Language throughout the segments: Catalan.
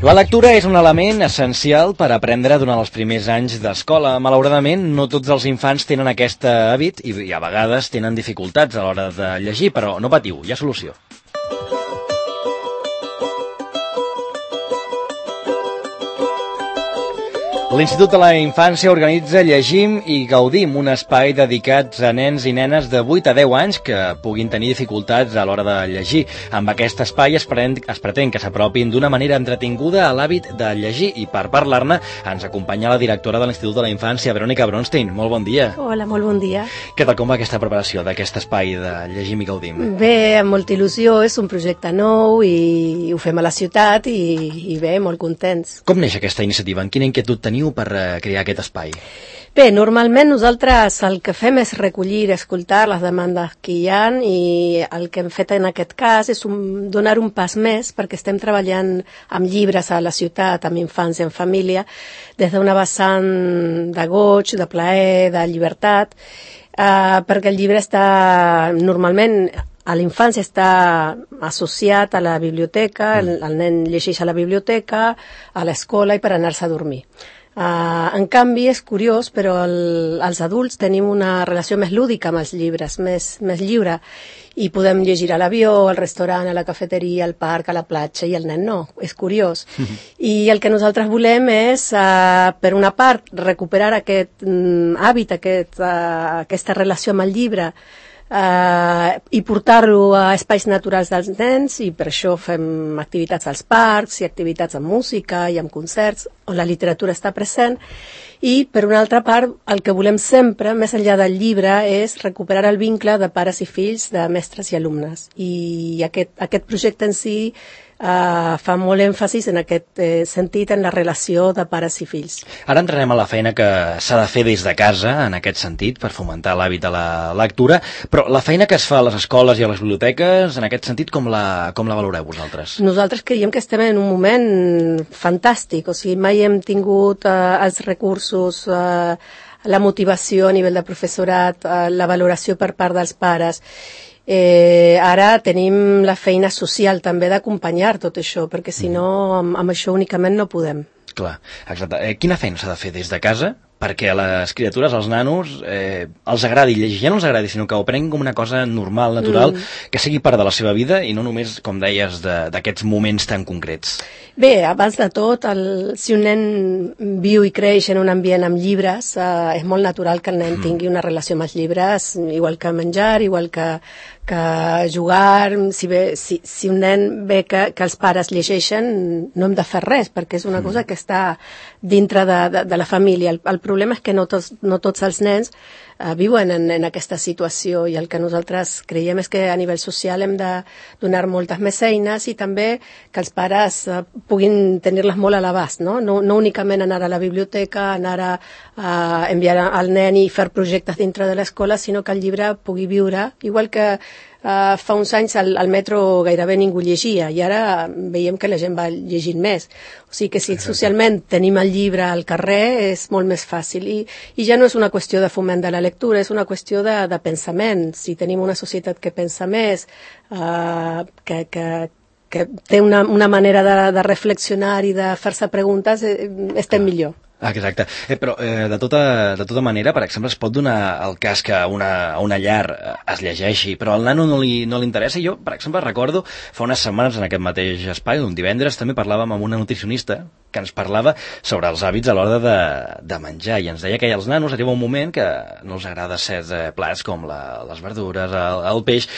La lectura és un element essencial per aprendre durant els primers anys d'escola. Malauradament, no tots els infants tenen aquest hàbit i a vegades tenen dificultats a l'hora de llegir, però no patiu, hi ha solució. L'Institut de la Infància organitza Llegim i Gaudim, un espai dedicat a nens i nenes de 8 a 10 anys que puguin tenir dificultats a l'hora de llegir. Amb aquest espai es pretén que s'apropin d'una manera entretinguda a l'hàbit de llegir i per parlar-ne ens acompanya la directora de l'Institut de la Infància, Verònica Bronstein. Molt bon dia. Hola, molt bon dia. Què tal, com va aquesta preparació d'aquest espai de Llegim i Gaudim? Bé, amb molta il·lusió, és un projecte nou i ho fem a la ciutat i bé, molt contents. Com neix aquesta iniciativa? En quina inquietud teniu per crear aquest espai? Bé, normalment nosaltres el que fem és recollir, escoltar les demandes que hi ha i el que hem fet en aquest cas és donar un pas més perquè estem treballant amb llibres a la ciutat, amb infants i en família, des d'una vessant de goig, de plaer, de llibertat, perquè el llibre està normalment a la infància està associat a la biblioteca, el nen llegeix a la biblioteca, a l'escola i per anar-se a dormir. En canvi, és curiós, però els adults tenim una relació més lúdica amb els llibres, més lliure, i podem llegir a l'avió, al restaurant, a la cafeteria, al parc, a la platja, i el nen no. És curiós. I el que nosaltres volem és, per una part, recuperar aquest hàbit, aquesta relació amb el llibre, i portar-lo a espais naturals dels nens, i per això fem activitats als parcs i activitats amb música i amb concerts on la literatura està present. I per una altra part el que volem sempre, més enllà del llibre, és recuperar el vincle de pares i fills, de mestres i alumnes, i aquest projecte en si fa molt èmfasis en aquest sentit, en la relació de pares i fills. Ara entrarem a la feina que s'ha de fer des de casa, en aquest sentit, per fomentar l'hàbit de la lectura, però la feina que es fa a les escoles i a les biblioteques, en aquest sentit, com la valoreu vosaltres? Nosaltres creiem que estem en un moment fantàstic, o sigui, mai hem tingut els recursos, la motivació a nivell de professorat, la valoració per part dels pares. Ara tenim la feina social també d'acompanyar tot això, perquè si no, amb això únicament no podem. Clar, exacte. Quina feina s'ha de fer des de casa perquè a les criatures, als nanos, els agradi llegir? Ja no els agradi, sinó que ho prenguin com una cosa normal, natural, que sigui part de la seva vida i no només, com deies, d'aquests moments tan concrets. Bé, abans de tot, si un nen viu i creix en un ambient amb llibres, és molt natural que el nen tingui una relació amb els llibres, igual que menjar, igual que jugar. Si un nen ve que els pares llegeixen, no hem de fer res, perquè és una cosa que està dintre de la família. El problema és que no tots els nens viuen en aquesta situació, i el que nosaltres creiem és que a nivell social hem de donar moltes més eines i també que els pares puguin tenir-les molt a l'abast, no únicament anar a la biblioteca, anar a enviar al nen i fer projectes dintre de l'escola, sinó que el llibre pugui viure, igual que fa uns anys al metro gairebé ningú llegia i ara veiem que la gent va llegint més. O sigui que si socialment tenim el llibre al carrer és molt més fàcil i ja no és una qüestió de foment de la lectura, és una qüestió de pensament. Si tenim una societat que pensa més, que té una manera de reflexionar i de fer-se preguntes, estem millor. Exacte, però de tota manera, per exemple, es pot donar el cas que a una llar es llegeixi, però al nano no li interessa. Jo, per exemple, recordo fa unes setmanes en aquest mateix espai, un divendres, també parlàvem amb una nutricionista que ens parlava sobre els hàbits a l'hora de menjar, i ens deia que als nanos arriba un moment que no els agrada certs plats com les verdures, el peix.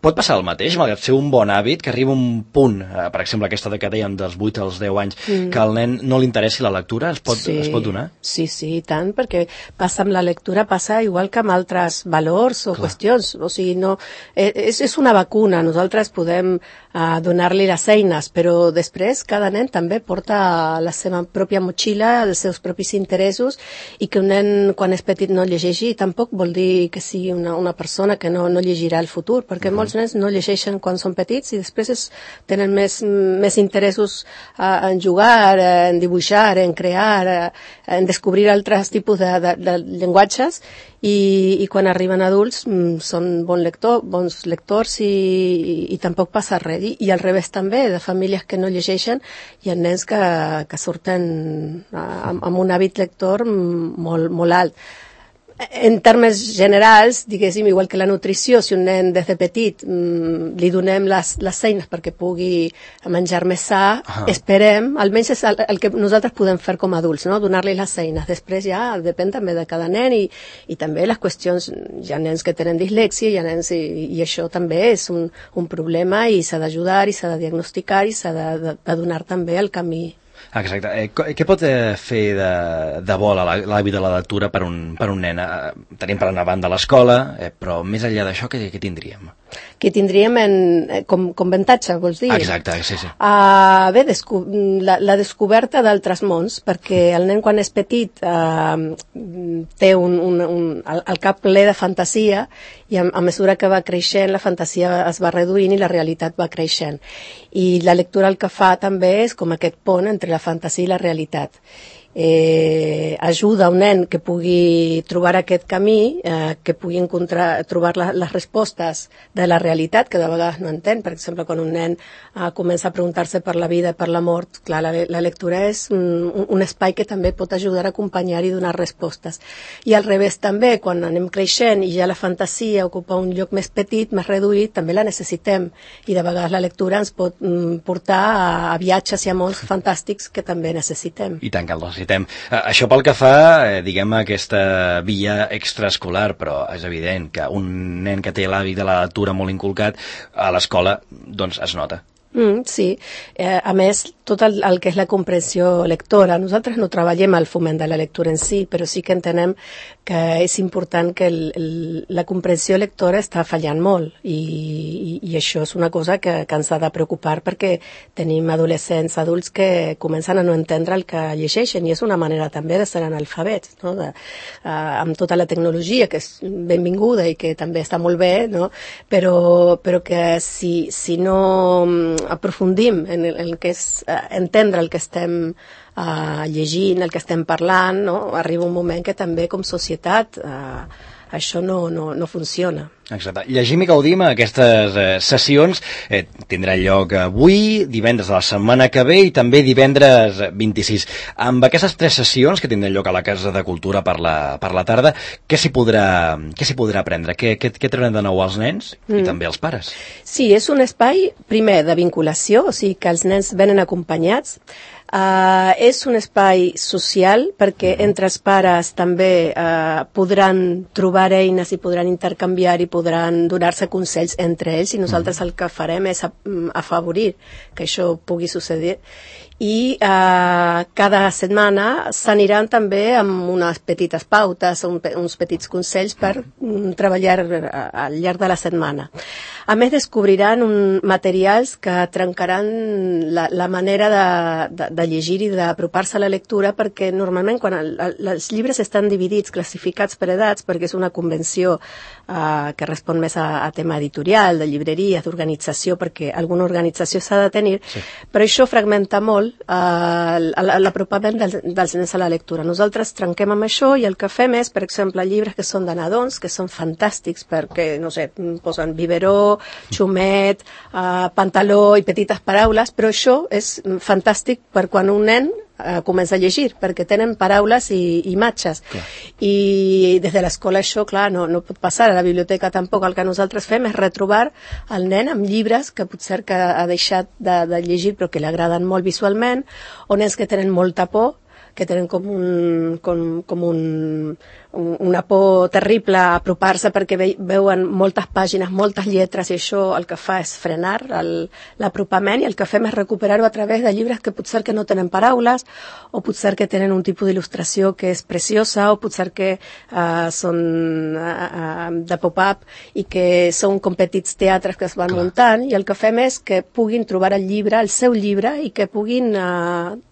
Pot passar el mateix, malgrat ser un bon hàbit, que arriba un punt, per exemple, aquesta que dèiem dels 8 als 10 anys, que al nen no li interessi la lectura, es pot donar? Sí, i tant, perquè passa amb la lectura, passa igual que amb altres valors o qüestions. O sigui, no, és una vacuna, nosaltres podem donar-li les eines, però després cada nen també porta la seva pròpia motxilla, els seus propis interessos, i que un nen quan és petit no llegeixi tampoc vol dir que sigui una persona que no llegirà al futur, perquè molts nens no llegeixen quan són petits i després tenen més interessos en jugar, en dibuixar, en crear, en descobrir altres tipus de llenguatges i quan arriben adults són bons lectors i tampoc passa res. I al revés també, de famílies que no llegeixen i ha nens que surten amb un hàbit lector molt alt. En termes generals, diguéssim, igual que la nutrició, si un nen des de petit li donem les eines perquè pugui menjar més sa, esperem, almenys és el que nosaltres podem fer com a adults, no? Donar-li les eines. Després ja depèn també de cada nen i també les qüestions, hi ha nens que tenen dislèxia, hi ha nens i això també és un problema i s'ha d'ajudar i s'ha de diagnosticar i s'ha de donar també el camí. Exacte. Què pot fer de bo l'hàbit de la lectura per un nen? Tenim per una banda l'escola, però més enllà d'això, què tindríem? Què tindríem com avantatge, vols dir? Exacte, sí. Bé, la descoberta d'altres mons, perquè el nen quan és petit té el cap ple de fantasia i a mesura que va creixent la fantasia es va reduint i la realitat va creixent. I la lectura el que fa també és com aquest pont entre la fantasia i la realitat. Ajuda un nen que pugui trobar aquest camí, que pugui trobar les respostes de la realitat, que de vegades no entén. Per exemple, quan un nen comença a preguntar-se per la vida, per la mort, clar, la lectura és un espai que també pot ajudar a acompanyar i donar respostes. I al revés també, quan anem creixent i ja la fantasia ocupa un lloc més petit, més reduït, també la necessitem. I de vegades la lectura ens pot portar a viatges i a mons fantàstics que també necessitem. I tant que el necessitem. Això pel que fa, diguem, a aquesta via extraescolar, però és evident que un nen que té l'hàbit de la lectura molt inculcat a l'escola, doncs es nota. Sí, a més, tot el que és la comprensió lectora. Nosaltres no treballem al foment de la lectura en si, però sí que entenem que és important que la comprensió lectora està fallant molt i això és una cosa que ens ha de preocupar perquè tenim adolescents, adults que comencen a no entendre el que llegeixen i és una manera també de ser analfabets, no? Amb tota la tecnologia que és benvinguda i que també està molt bé, no? Però que si no aprofundim en el que és entendre el que estem llegint, el que estem parlant, no? Arriba un moment que també com societat això no funciona. Exacte. Llegim i gaudim aquestes sessions tindrà lloc avui, divendres de la setmana que ve i també divendres 26. Amb aquestes 3 sessions que tindran lloc a la Casa de Cultura per la tarda, què s'hi podrà aprendre? Què trauran de nou als nens i també als pares? Sí, és un espai, primer, de vinculació, o sigui que els nens venen acompanyats. És un espai social perquè entre els pares també podran trobar eines i podran intercanviar i podran donar-se consells entre ells i nosaltres el que farem és afavorir que això pugui succeir i cada setmana s'aniran també amb unes petites pautes, uns petits consells per treballar al llarg de la setmana. A més, descobriran materials que trencaran la manera de llegir i d'apropar-se a la lectura perquè normalment quan els llibres estan dividits, classificats per edats, perquè és una convenció que respon més a tema editorial, de llibreries, d'organització, perquè alguna organització s'ha de tenir, sí. Però això fragmenta molt l'apropament dels nens a la lectura. Nosaltres trenquem amb això i el que fem és, per exemple, llibres que són de nadons, que són fantàstics perquè, no sé, posen biberó, xumet, pantaló i petites paraules, però això és fantàstic per quan un nen comença a llegir, perquè tenen paraules i imatges. Clar. I des de l'escola això, clar, no pot passar. A la biblioteca tampoc. El que nosaltres fem és retrobar el nen amb llibres que potser que ha deixat de llegir però que li agraden molt visualment, o nens que tenen molta por, que tenen com una por terrible a apropar-se perquè veuen moltes pàgines, moltes lletres i això el que fa és frenar l'apropament i el que fem és recuperar-ho a través de llibres que potser que no tenen paraules o potser que tenen un tipus d'il·lustració que és preciosa o potser que són de pop-up i que són com petits teatres que es van muntant i el que fem és que puguin trobar el llibre, el seu llibre i que puguin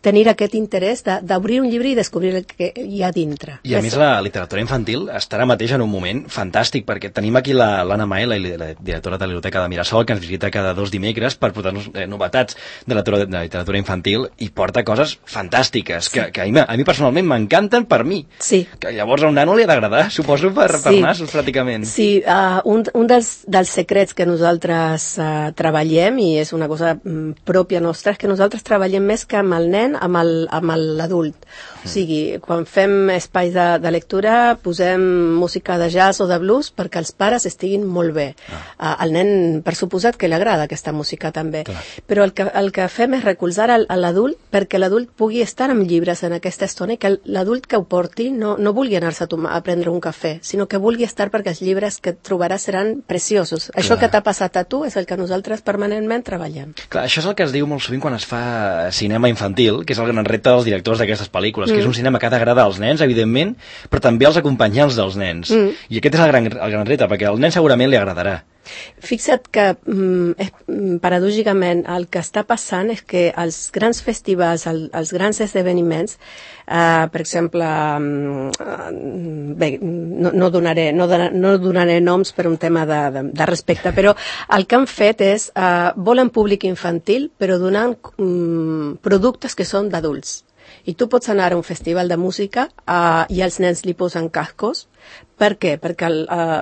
tenir aquest interès d'obrir un llibre i descobrir el que hi ha dintre. I a més la literatura literatura infantil està ara mateix en un moment fantàstic, perquè tenim aquí l'Anna Mae, la directora de la Biblioteca de Mirasol, que ens visita cada 2 dimecres per portar-nos novetats de la literatura infantil, i porta coses fantàstiques, que a mi personalment m'encanten per mi. Sí. Que llavors a un nano li ha d'agradar, suposo, per nassos, pràcticament. Sí, un dels secrets que nosaltres treballem, i és una cosa pròpia nostra, és que nosaltres treballem més que amb el nen, amb l'adult. O sigui, quan fem espais de lectura, posem música de jazz o de blues perquè els pares estiguin molt bé. Al nen, per suposat, que li agrada aquesta música també. Clar. Però el que fem és recolzar a l'adult perquè l'adult pugui estar amb llibres en aquesta estona i que l'adult que ho porti no vulgui anar-se a prendre un cafè, sinó que vulgui estar perquè els llibres que trobaràs seran preciosos. Clar. Això que t'ha passat a tu és el que nosaltres permanentment treballem. Clar, això és el que es diu molt sovint quan es fa cinema infantil, que és el gran repte dels directors d'aquestes pel·lícules, que és un cinema que ha d'agradar als nens, evidentment, però també als acompanyants dels nens. I aquest és el gran repte, perquè al nen segurament li agradarà. Fixa't que, paradògicament, el que està passant és que els grans festivals, els grans esdeveniments, per exemple, bé, no donaré noms per un tema de respecte, però el que han fet és, volen públic infantil, però donant productes que són d'adults. I tu pots anar a un festival de música i els nens li posen cascos. Per què? Perquè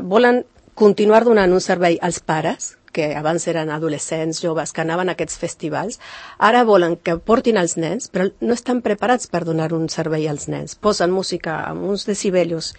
volen continuar donant un servei als pares, que abans eren adolescents, joves, que anaven a aquests festivals. Ara volen que portin els nens, però no estan preparats per donar un servei als nens. Posen música amb uns decibelios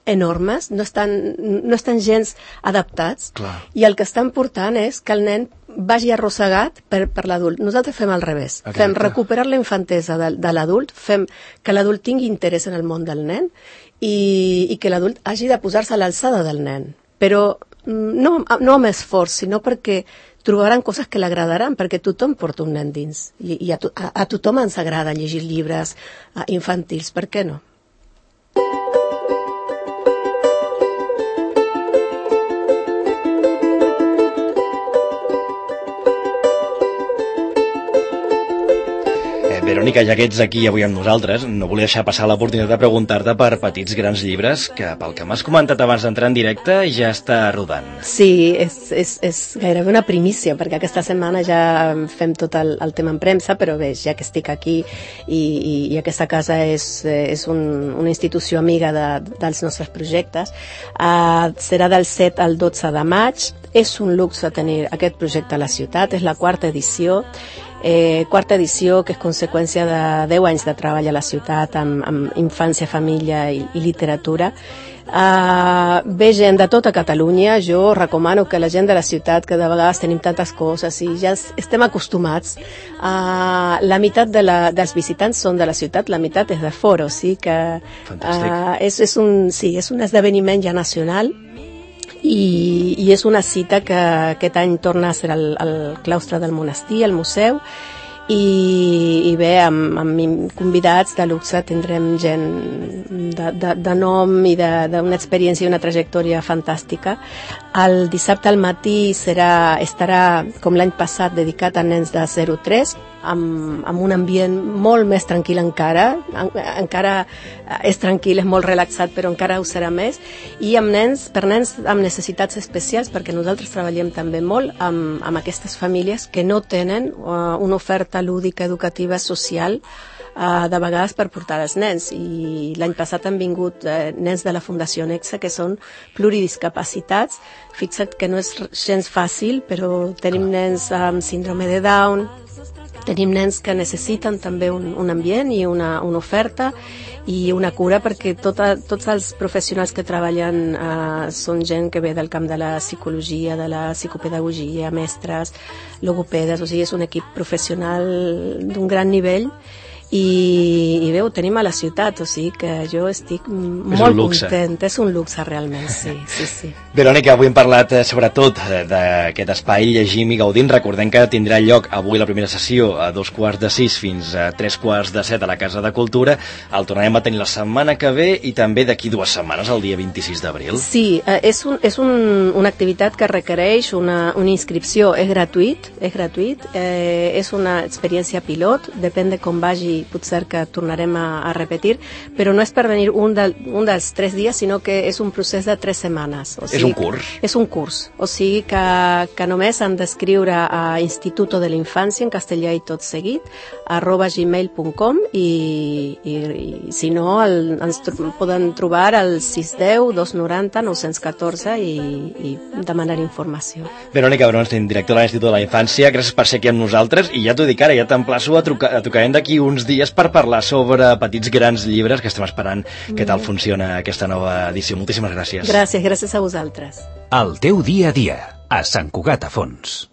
enormes, no estan gens adaptats. Clar. I el que estan portant és que el nen vagi arrossegat per l'adult. Nosaltres fem al revés. Exacte. Fem recuperar la infantesa de l'adult, fem que l'adult tingui interès en el món del nen i que l'adult hagi de posar-se a l'alçada del nen. Però no amb esforç, sinó perquè trobaran coses que l'agradaran, perquè tothom porta un nen dins. I a tothom ens agrada llegir llibres infantils, per què no? Verònica, ja que ets aquí avui amb nosaltres, no volia deixar passar l'oportunitat de preguntar-te per Petits grans llibres, que pel que m'has comentat abans d'entrar en directe ja està rodant. Sí, és gairebé una primícia, perquè aquesta setmana ja fem tot el tema en premsa, però bé, ja que estic aquí i aquesta casa és una institució amiga dels nostres projectes, serà del 7 al 12 de maig. És un luxe tenir aquest projecte a la ciutat, és la quarta edició, que és conseqüència de 10 anys de treball a la ciutat amb infància, família i literatura. Ve gent de tota Catalunya. Jo recomano que la gent de la ciutat, que de vegades tenim tantes coses i ja estem acostumats, la meitat dels visitants són de la ciutat, la meitat és de fora, o sigui que és un esdeveniment ja nacional. I és una cita que aquest any torna a ser al claustre del monestir, al museu, i bé, amb convidats de luxe tindrem gent de nom i d'una experiència i una trajectòria fantàstica. El dissabte al matí estarà, com l'any passat, dedicat a nens de 0-3, amb un ambient molt més tranquil encara és tranquil, és molt relaxat, però encara ho serà més, i per nens amb necessitats especials, perquè nosaltres treballem també molt amb aquestes famílies que no tenen una oferta lúdica, educativa, social, de vegades per portar els nens. I l'any passat han vingut nens de la Fundació Nexa, que són pluridiscapacitats. Fixa't que no és gens fàcil, però tenim nens amb síndrome de Down, tenim nens que necessiten també un ambient i una oferta i una cura, perquè tots els professionals que treballen són gent que ve del camp de la psicologia, de la psicopedagogia, mestres, logopedes, o sigui, és un equip professional d'un gran nivell. I bé, ho tenim a la ciutat, o sigui que jo estic molt content. És un luxe realment, sí. Verònica, avui hem parlat sobretot d'aquest espai Llegim i Gaudim. Recordem que tindrà lloc avui la primera sessió a 2:45 fins a 3:45 a la Casa de Cultura. El tornarem a tenir la setmana que ve i també d'aquí 2 setmanes, el dia 26 d'abril. Sí, és una activitat que requereix una inscripció. És gratuït, és una experiència pilot, depèn de com vagi i potser que tornarem a repetir, però no és per venir un dels 3 dies, sinó que és un procés de 3 setmanes. O sigui, és un curs? És un curs, o sigui que només han d'escriure a Instituto de la Infància, en castellà i tot seguit, @gmail.com i si no, ens poden trobar al 610 290 914 i demanar informació. Verònica Bronstein, directora de l'Institut de la Infància, gràcies per ser aquí amb nosaltres, i ja t'ho dic ara, ja t'emplaço a tocar d'aquí uns dies per parlar sobre petits grans llibres, que estem esperant què tal funciona aquesta nova edició. Moltíssimes gràcies. Gràcies a vosaltres. El teu dia a dia, a Sant Cugat a Fons.